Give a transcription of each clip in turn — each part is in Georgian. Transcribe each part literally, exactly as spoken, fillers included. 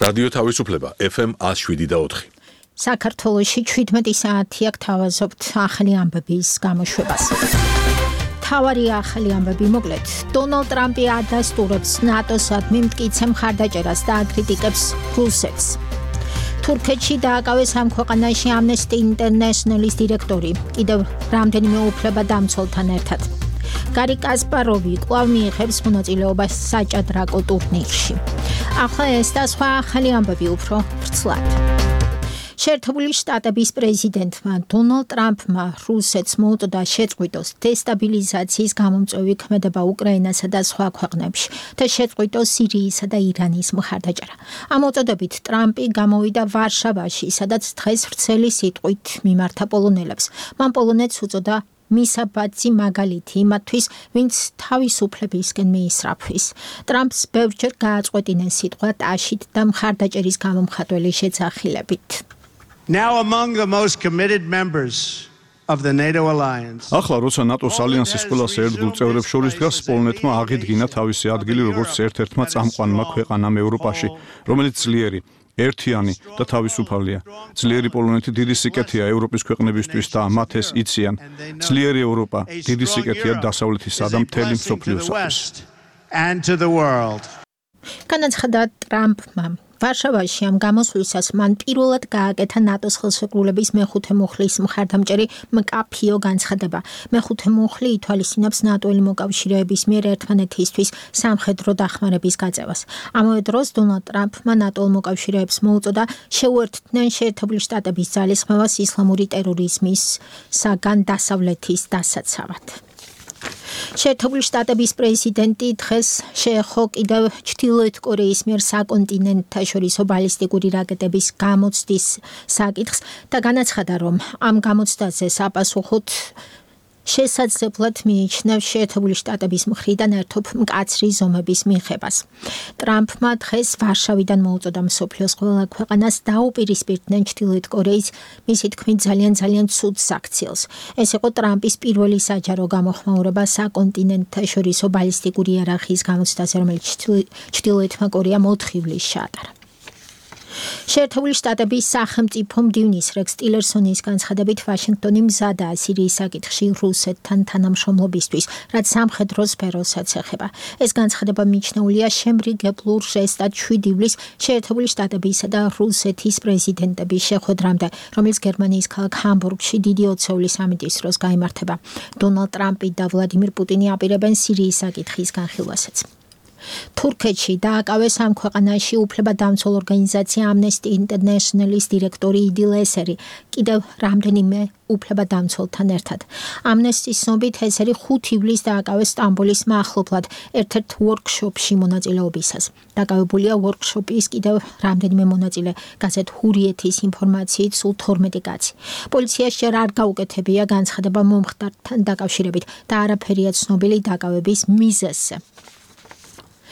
რადიო თავისუფლება ეფ ემ ათს შვიდი და ოთხი. საქართველოში ჩვიდმეტი საათი აქ თავაზობთ ახალი ამბების გამოშვებას. თავარი ახალი ამბები მოკლედ. დონალდ ტრამპი ადასტურებს ნატოსადმი მტკიცე მხარდაჭერას და აკრიტიკებს რუსეთს. თურქეთში დააკავეს ამ ქვეყანაში ამნესტი ინტერნეშნალის დირექტორი, კიდევ რამდენიმე უფლებადამცველთან ერთად. გარი კასპაროვი კვლავ მიიღებს მონაწილეობას საჭადრაკო ტურნირში. ახლა ეს და სხვა ახალი ამბები უფრო ვრცლად. შეერთებული შტატების პრეზიდენტმა დონალდ ტრამპმა რუსეთს მოუწოდა შეწყვიტოს დესტაბილიზაციის გამომწვევი ქმედება უკრაინასა და სხვა ქვეყნებში და შეწყვიტოს სირიისა და ირანის მხარდაჭერა. ამ მოწოდებით ტრამპი გამოვიდა ვარშავაში, სადაც დღეს ვრცელი სიტყვით მიმართა პოლონელებს. მან პოლონეთს უწოდა მისაბაძი მაგალითი იმათთვის, ვინც თავისუფლებისკენ მიისწრაფვის. ტრამპს ბევრჯერ გააწყვეტინა სიტყვა ტაშით და მხარდაჭერის გამომხატველი შეძახილებით. Now among the most committed members of the NATO alliance. ახლა როცა ნატოს ალიანსის ყველა ერთგულ წევრებს შორის დგას, პოლონეთმა აღიდგინა თავისი ადგილი როგორც ერთ-ერთმა წამყვანმა ქვეყანამ ევროპაში, რომელიც ძლიერი, ერთიანი და თავისუფალია. ძლიერი პოლონეთი დიდი სიკეთეა ევროპის ქვეყნებისთვის და მათ ეს იციან. ძლიერი ევროპა დიდი სიკეთეა დასავლეთისა და მთელი მსოფლიოსათვის. განაცხადა ტრამპმა. ვარშავაში ამ გამოსვლისას მან პირველად გააკეთა ნატოს ხელშეკრულების მეხუთე მუხლის მხარდამჭერი მკაფიო განცხადება. მეხუთე მუხლი ითვალისწინებს ნატოელი მოკავშირეების მიერ ერთმანეთისთვის სამხედრო დახმარების გაწევას. ამავე დროს დონალდ ტრამპმა ნატოელ მოკავშირეებს მოუწოდა შეუერთდნენ შეერთებული შტატების ძალისხმევას ისლამური ტერორიზმის საგან დასავლეთის დასაცავად. შეერთებული შტატების პრეზიდენტი დღეს შეეხო კიდევ ჩრდილოეთ კორეის მიერ საკონტინენტთაშორისო ბალისტიკური რაკეტების გამოცდის საკითხს და განაცხადა, რომ ამ გამოცდაზე საპასუხოდ შესაძლებლად მიიჩნევს შეერთებული შტატების მხრიდან ერთობ მკაცრი ზომების მიღებას. ტრამპმა დღეს ვარშავიდან მოუწოდა მსოფლიოს ყველა ქვეყანას დაუპირისპირდნენ ჩრდილოეთ კორეის მისი თქმით ძალიან ძალიან ცუდ საქციელს. ეს იყო ტრამპის პირველი საჯარო გამოხმაურება საკონტინენტთაშორისო ბალისტიკური იარაღიის გამოცდაზე, რომელიც ჩრდილოეთმა კორეამ ოთხ ივლისს ჩაატარა. შეერთებული შტატების სახელმწიფო მდივნის რეკს ტილერსონის განცხადებით ვაშინგტონი მზადაა სირიის საკითხში რუსეთთან თანამშრომლობისთვის, რაც სამხედრო სფეროსაც ეხება. ეს განცხადება მიჩნეულია შემრიგებლურ ჟესტად შვიდი ივლისს შეერთებული შტატებისა და რუსეთის პრეზიდენტების შეხვედრამდე, რომელიც გერმანიის ქალაქ ჰამბურგში დიდი ოცეული სამიტის დროს გაიმართება. დონალდ ტრამპი და ვლადიმირ პუტინი აპირებენ სირიის საკითხის განხილვასაც. თურქეთში დააკავეს ამ ქვეყანაში უფლებადამცველ ორგანიზაცია ამნესტი ინტერნეშნალის დირექტორი იდილ ესერი, კიდევ რამდენიმე უფლებადამცველთან ერთად. ამნესტის ცნობით ესერი ხუთი ივლისს დააკავეს სტამბოლის მახლობლად ერთ-ერთ ვორკშოპში მონაწილეობისას. დაკავებულია ვორკშოპის კიდევ რამდენიმე მონაწილე, გაზეთ ჰურიეთის ინფორმაციით სულ თორმეტი კაცი. პოლიციას ჯერ არ გაუკეთებია განცხადება მომხდართან დაკავშირებით და არაფერია ცნობილი დაკავების მიზეზზე.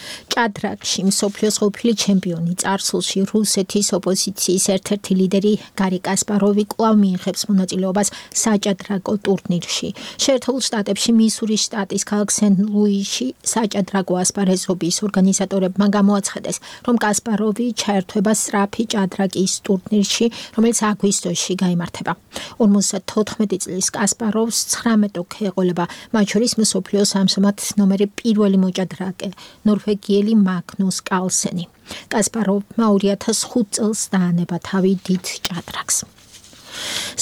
ჭადრაკში მსოფლიოს ყოფილი ჩემპიონი წარსულში რუსეთის ოპოზიციის ერთ-ერთი ლიდერი გარი კასპაროვი კვლავ მიიღებს მონაწილეობას საჭადრაკო ტურნირში. შეერთებულ შტატებში მისურის შტატის ქალაქ სენ-ლუისში საჭადრაკო ასპარეზობის ორგანიზატორებმა გამოაცხადეს, რომ კასპაროვი ჩაერთვება სწრაფი ჭადრაკის ტურნირში, რომელიც აგვისტოში გაიმართება. ორმოცდათოთხმეტი წლის კასპაროვს ცხრამეტ ოქე ეყოლება, მათ შორის მსოფლიოს ამჟამად ნომერი პირველი მოჭადრაკე ნორვეგიელი მაგნუს კალსენი. კასპაროვმა ორი ათას ხუთი წელს დაანება თავი დიდ ჭადრაკს.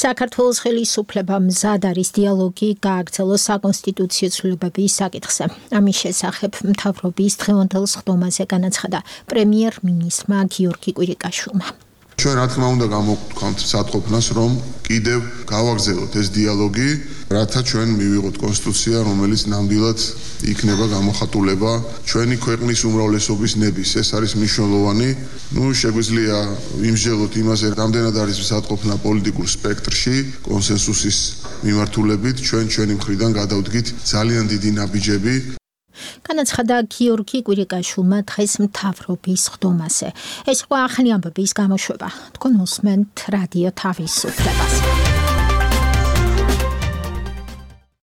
საქართველოს ხელისუფლება მზად არის დიალოგი გააგრძელოს საკონსტიტუციო ცვლილებების საკითხზე. ამის შესახებ მთავრობის დღევანდელ სხდომაზე განაცხადა პრემიერ-მინისტრმა გიორგი კვირიკაშვილმა. ჩვენ რა თქმა უნდა გამოვქვთ სათყოფნას, რომ კიდევ გავაგრძელოთ ეს დიალოგი, რათა ჩვენ მივიღოთ კონსტიტუცია, რომელიც ნამდვილად იქნება გამოხატულება ჩვენი ქვეყნის უმრავლესობის ნების. ეს არის მნიშვნელოვანი. ნუ შეგვიძლია იმსჯელოთ იმაზე, რამდენად არის სათყოფნა პოლიტიკურ სპექტრში, კონსენსუსის მიმართულებით, ჩვენ ჩვენი მხრიდან გადავდგით ძალიან დიდი ნაბიჯები. განაცხადა გიორგი კვირიკაშვილმა დღეს მთავრობის სხდომაზე. ეს იყო ახალი ამბების გამოშვება. თქვენ უსმენთ რადიო თავისუფლებას.